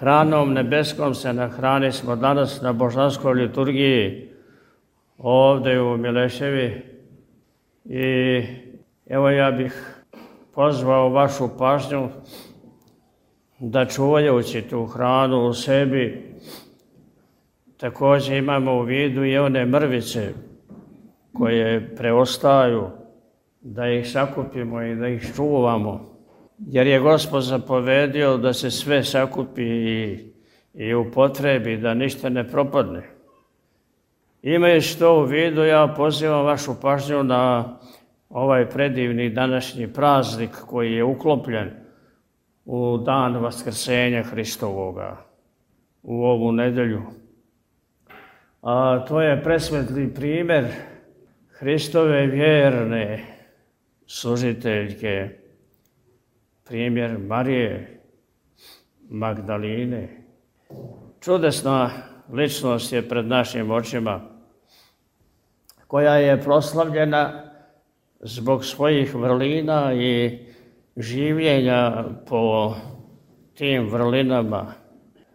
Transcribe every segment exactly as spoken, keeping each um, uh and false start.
hranom nebeskom se nahrani smo danas na božanskoj liturgiji ovdje u Mileševi. I evo ja bih pozvao vašu pažnju da čuvajući tu hranu u sebi također imamo u vidu i one mrvice koje preostaju, da ih sakupimo i da ih čuvamo. Jer je Gospod zapovedio da se sve sakupi i, i upotrebi, da ništa ne propadne. Imajući to u vidu, ja pozivam vašu pažnju na ovaj predivni današnji praznik koji je uklopljen u dan Vaskrsenja Hristovoga, u ovu nedelju. A to je presvetli primjer Hristove vjerne služiteljke, primjer Marije Magdaline. Čudesna ličnost je pred našim očima, koja je proslavljena zbog svojih vrlina i življenja po tim vrlinama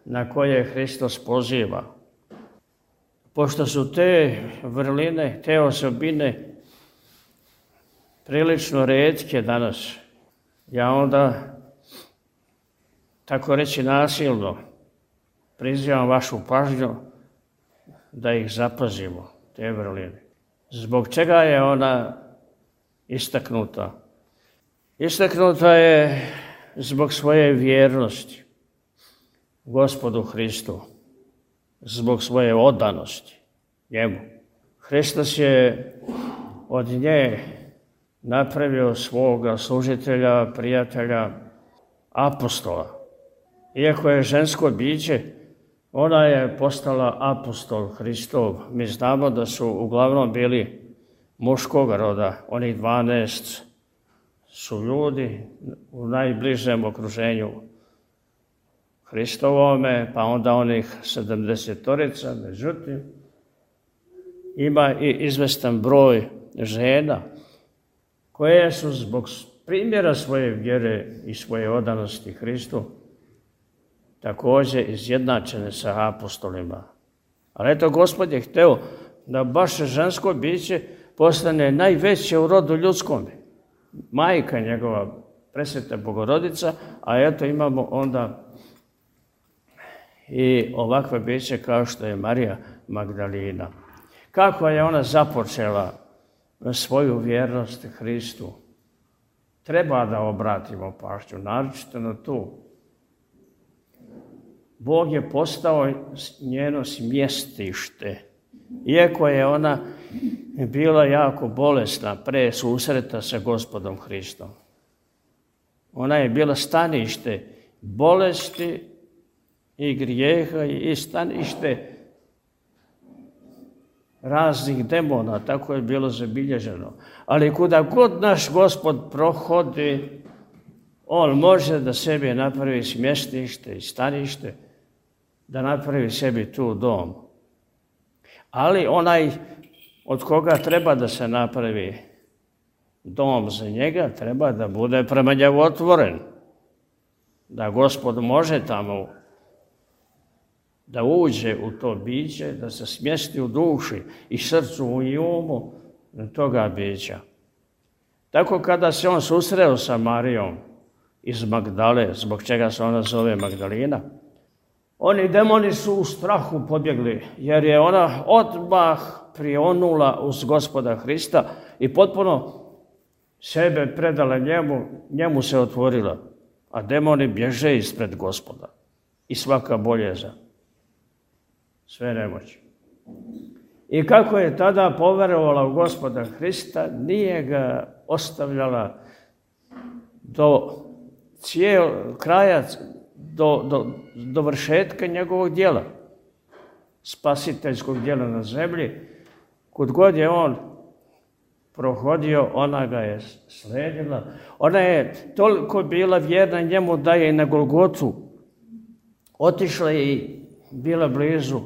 na koje Hristos poziva. Pošto su te vrline, te osobine prilično retke danas, ja onda, tako reći nasilno, prizivam vašu pažnju da ih zapazimo, te vrline. Zbog čega je ona istaknuta? Istaknuta je zbog svoje vjernosti Gospodu Hristu, zbog svoje odanosti njemu. Hristos je od nje napravio svoga služitelja, prijatelja, apostola. Iako je žensko biće, ona je postala apostol Hristov. Mi znamo da su uglavnom bili muškog roda. Onih dvanaest su ljudi u najbližem okruženju Hristovome, pa onda onih sedamdesetorica. Međutim, ima i izvestan broj žena koje su zbog primjera svoje vjere i svoje odanosti Hristu također izjednačene sa apostolima. Ali eto, Gospod je hteo da baš žensko biće postane najveće u rodu ljudskome. Majka njegova, presveta Bogorodica, a eto imamo onda i ovakve biće kao što je Marija Magdalina. Kako je ona započela svoju vjernost Hristu? Treba da obratimo pažnju, naročito na tu. Bog je postao njeno smjestište. Iako je ona bila jako bolesna pre susreta sa Gospodom Hristom. Ona je bila stanište bolesti i grijeha i stanište raznih demona, tako je bilo zabilježeno. Ali kuda god naš Gospod prohodi, on može da sebi napravi smjestište i stanište, da napravi sebi tu dom. Ali onaj od koga treba da se napravi dom za njega, treba da bude prema njemu otvoren. Da Gospod može tamo da uđe u to biće, da se smjesti u duši i srcu i umu toga bića. Tako kada se on susreo sa Marijom iz Magdale, zbog čega se ona zove Magdalina, oni demoni su u strahu pobjegli, jer je ona odmah prionula uz Gospoda Hrista i potpuno sebe predala njemu, njemu se otvorila, a demoni bježe ispred Gospoda i svaka boljeza, sve nemoći. I kako je tada poverovala u Gospoda Hrista, nije ga ostavljala do cijel kraja, do, do, do vršetka njegovog djela, spasiteljskog djela na zemlji. Kud god je on prohodio, ona ga je sledila. Ona je toliko bila vjerna njemu da je na Golgotu otišla i bila blizu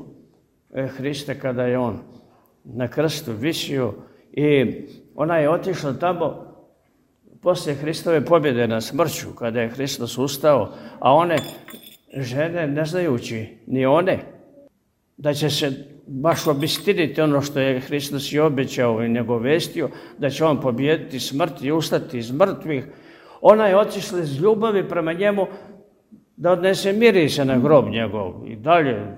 Hrista kada je on na krstu visio i ona je otišla tamo poslije Hristove pobjede na smrću, kada je Hristos ustao, a one žene, ne znajući ni one, da će se baš obistiniti ono što je Hristos i obećao i nagovestio, da će on pobijediti smrt i ustati iz mrtvih. Ona je otišla iz ljubavi prema njemu da odnese mirise na grob njegov i dalje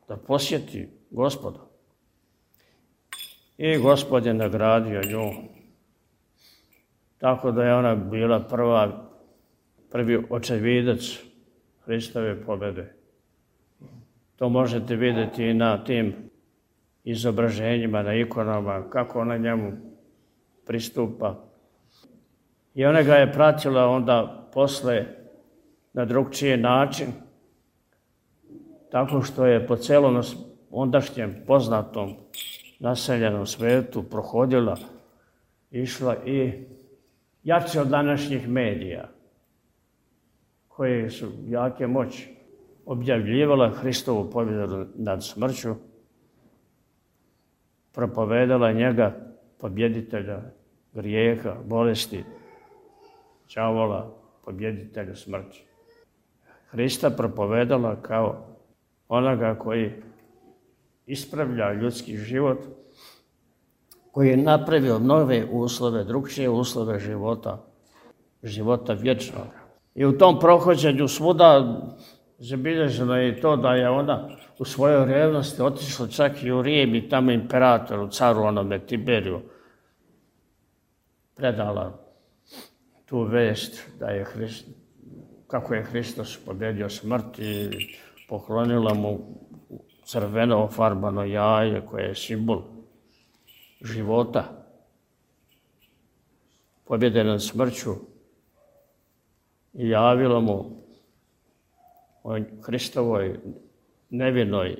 da posjeti Gospoda. I Gospod je nagradio nju. Tako da je ona bila prva, prvi očevidac Hristove pobjede. To možete vidjeti i na tim izobraženjima, na ikonama, kako ona njemu pristupa. I ona ga je pratila onda posle na drugčiji način, tako što je po celom ondašnjem poznatom naseljenom svetu prohodila, išla i jače od današnjih medija, koje su jake moći, objavljivala Hristovu pobjedu nad smrću, propovedala njega, pobjeditelja grijeha, bolesti, đavola, pobjeditelja smrći. Hrista propovedala kao onoga koji ispravlja ljudski život, koji je napravio nove uslove, drugčije uslove života, života vječnog. I u tom prohođenju svuda zabilježeno je i to da je ona u svojoj revnosti otišla čak i u Rim i tamo imperatoru, caru onome Tiberiju, predala tu vest da je Hrist, kako je Hristos pobjedio smrt i poklonila mu crveno ofarbano jaje koje je simbol života, pobjede nad smrću, i javila mu o Hristovoj nevinoj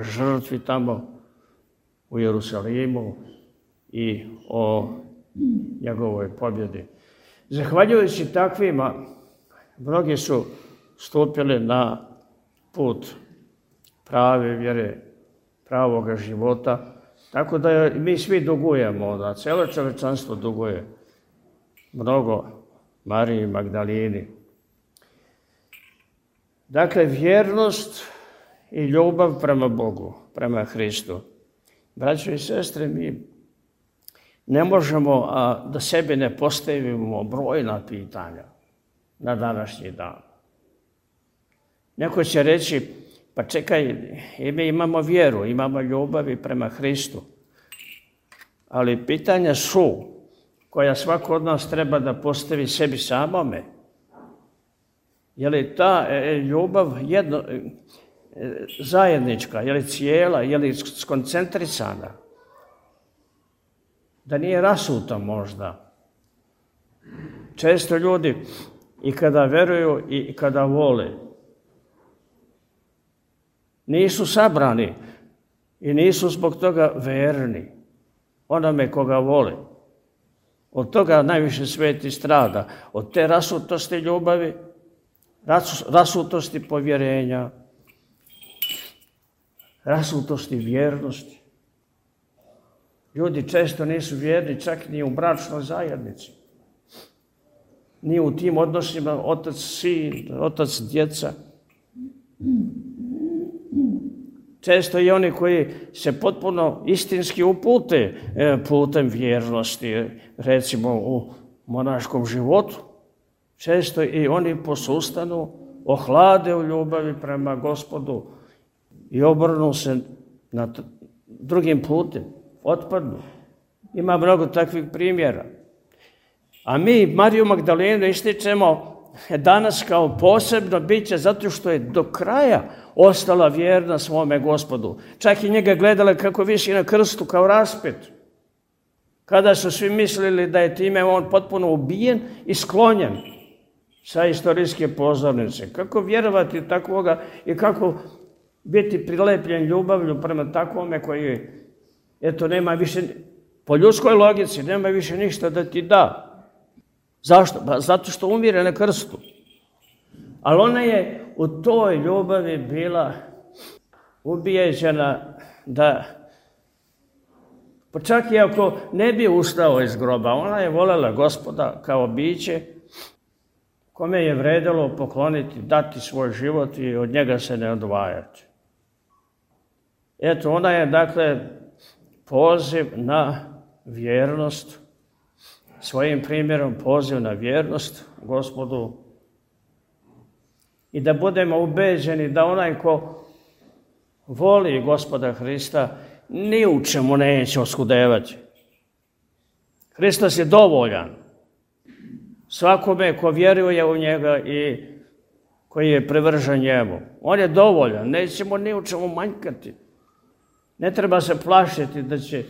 žrtvi tamo u Jerusalimu i o njegovoj pobjedi. Zahvaljujući takvima, mnogi su stupili na put prave vjere, pravoga života, tako da mi svi dugujemo, da cijelo čovječanstvo duguje mnogo Mariji Magdalini. Dakle, vjernost i ljubav prema Bogu, prema Hristu. Braćo i sestre, mi ne možemo a, da sebi ne postavimo brojna pitanja na današnji dan. Neko će reći, pa čekaj, mi imamo vjeru, imamo ljubav i prema Hristu, ali pitanja su koja svako od nas treba da postavi sebi samome. Je li ta ljubav jedno, zajednička, je li cijela, je li skoncentrisana? Da nije rasuta možda. Često ljudi i kada veruju i kada vole, nisu sabrani i nisu zbog toga verni onome koga vole. Od toga najviše sveti strada. Od te rasutosti ljubavi, rasutosti povjerenja, rasutosti vjernosti. Ljudi često nisu vjerni čak ni u bračnoj zajednici. Ni u tim odnosima otac-sin, otac-djeca. Često i oni koji se potpuno istinski upute putem vjernosti, recimo u monaškom životu, često i oni posustanu, ohlade u ljubavi prema Gospodu i obrnu se na drugim putem, otpadnu. Ima mnogo takvih primjera. A mi Mariju Magdalenu ističemo danas kao posebno biće zato što je do kraja ostala vjerna svome Gospodu. Čak i njega gledala kako visi na krstu kao raspet. Kada su svi mislili da je time on potpuno ubijen i sklonjen sa istorijske pozornice. Kako vjerovati takvoga i kako biti prilepljen ljubavlju prema takvome koji, eto, nema više, po ljudskoj logici, nema više ništa da ti da. Zašto? Pa zato što umire na krstu. Ali ona je u toj ljubavi bila ubijeđena da, pa čak i ako ne bi ustao iz groba, ona je voljela Gospoda kao biće kome je vredilo pokloniti, dati svoj život i od njega se ne odvajati. Eto, ona je, dakle, poziv na vjernost, svojim primjerom poziv na vjernost Gospodu i da budemo ubeđeni da onaj ko voli Gospoda Hrista ni u čemu neće oskudevati. Hristos je dovoljan svakome ko vjeruje u njega i koji je privržen njemu. On je dovoljan, nećemo ni u čemu manjkati. Ne treba se plašiti da će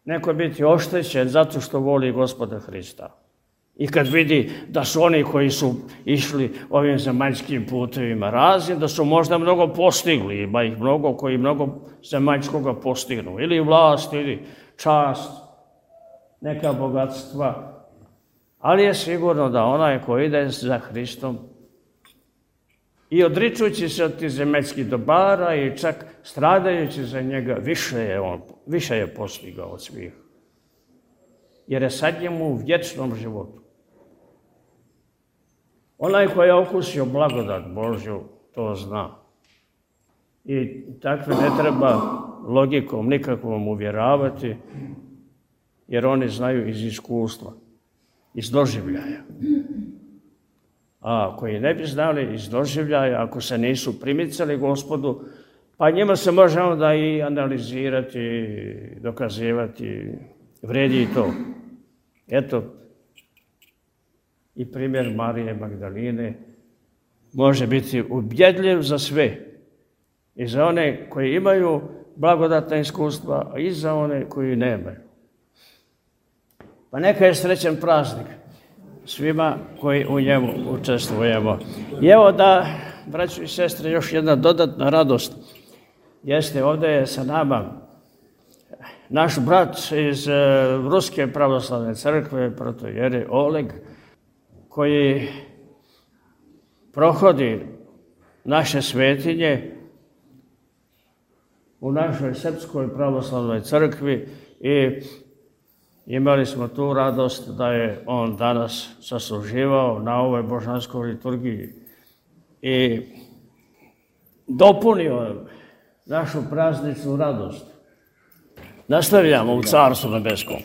neko biti oštećen zato što voli Gospoda Hrista. I kad vidi da su oni koji su išli ovim zemaljskim putevima raznim, da su možda mnogo postigli, ima ih mnogo koji mnogo zemaljskoga postignu. Ili vlast, ili čast, neka bogatstva. Ali je sigurno da onaj koji ide za Hristom i odričujući se od tih zemaljskih dobara i čak stradajući za njega, više je, on, više je postigao od svih. Jer je sad njemu u vječnom životu. Onaj koji je okusio blagodat Božju, to zna. I takve ne treba logikom nikakvom uvjeravati, jer oni znaju iz iskustva, iz doživljaja. A koji ne bi znali iz doživljaja, ako se nisu primicali Gospodu, pa njima se može onda i analizirati, dokazivati, vredi i to. Eto, i primjer Marije Magdaline može biti ubjedljiv za sve. I za one koji imaju blagodatna iskustva, a i za one koji nemaju. Pa neka je srećan praznik svima koji u njemu učestvujemo. I evo da, braćo i sestre, još jedna dodatna radost jeste, ovdje je sa nama naš brat iz Ruske pravoslavne crkve, protojere Oleg, koji prohodi naše svetinje u našoj Srpskoj pravoslavnoj crkvi i imali smo tu radost da je on danas sasluživao na ovoj božanskoj liturgiji i dopunio našu prazničnu radost. Nastavljamo u Carstvu nebeskom.